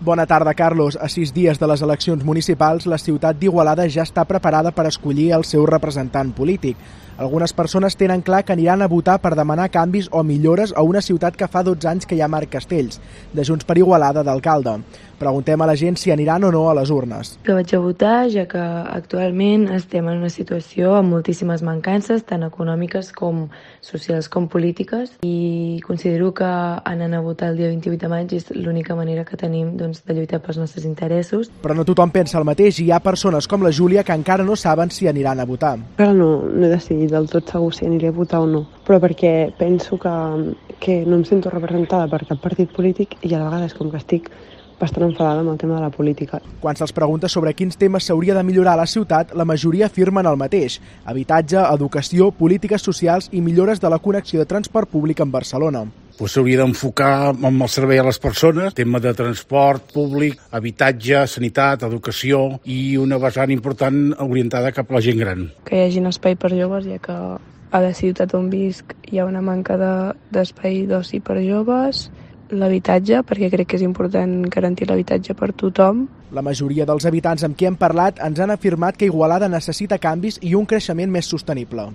Bona tarda, Carlos. A 6 dies de les eleccions municipals, la ciutat d'Igualada ja està preparada per escollir el seu representant polític. Algunes persones tenen clar que aniran a votar per demanar canvis o millores a una ciutat que fa 12 anys que hi ha Marc Castells, de Junts per Igualada, d'alcalde. Preguntem a la gent si aniran o no a les urnes. Que vaig a votar, ja que actualment estem en una situació amb moltíssimes mancances, tant econòmiques com socials com polítiques, i considero que anant a votar el dia 28 de maig és l'única manera que tenim de lluitar pels nostres interessos. Però no tothom pensa el mateix i hi ha persones com la Júlia que encara no saben si aniran a votar. Encara no he decidit del tot segur si aniré a votar o no, però perquè penso que no em sento representada per cap partit polític i a la vegada és com que estic bastant enfadada amb el tema de la política. Quan se'ls pregunta sobre quins temes s'hauria de millorar a la ciutat, la majoria afirmen el mateix: habitatge, educació, polítiques socials i millores de la connexió de transport públic amb Barcelona. S'hauria d'enfocar amb el servei a les persones, tema de transport públic, habitatge, sanitat, educació i una vessant important orientada cap a la gent gran. Que hi hagi espai per joves, ja que a la ciutat on visc hi ha una manca d'espai d'oci per joves, l'habitatge, perquè crec que és important garantir l'habitatge per tothom. La majoria dels habitants amb qui hem parlat ens han afirmat que Igualada necessita canvis i un creixement més sostenible.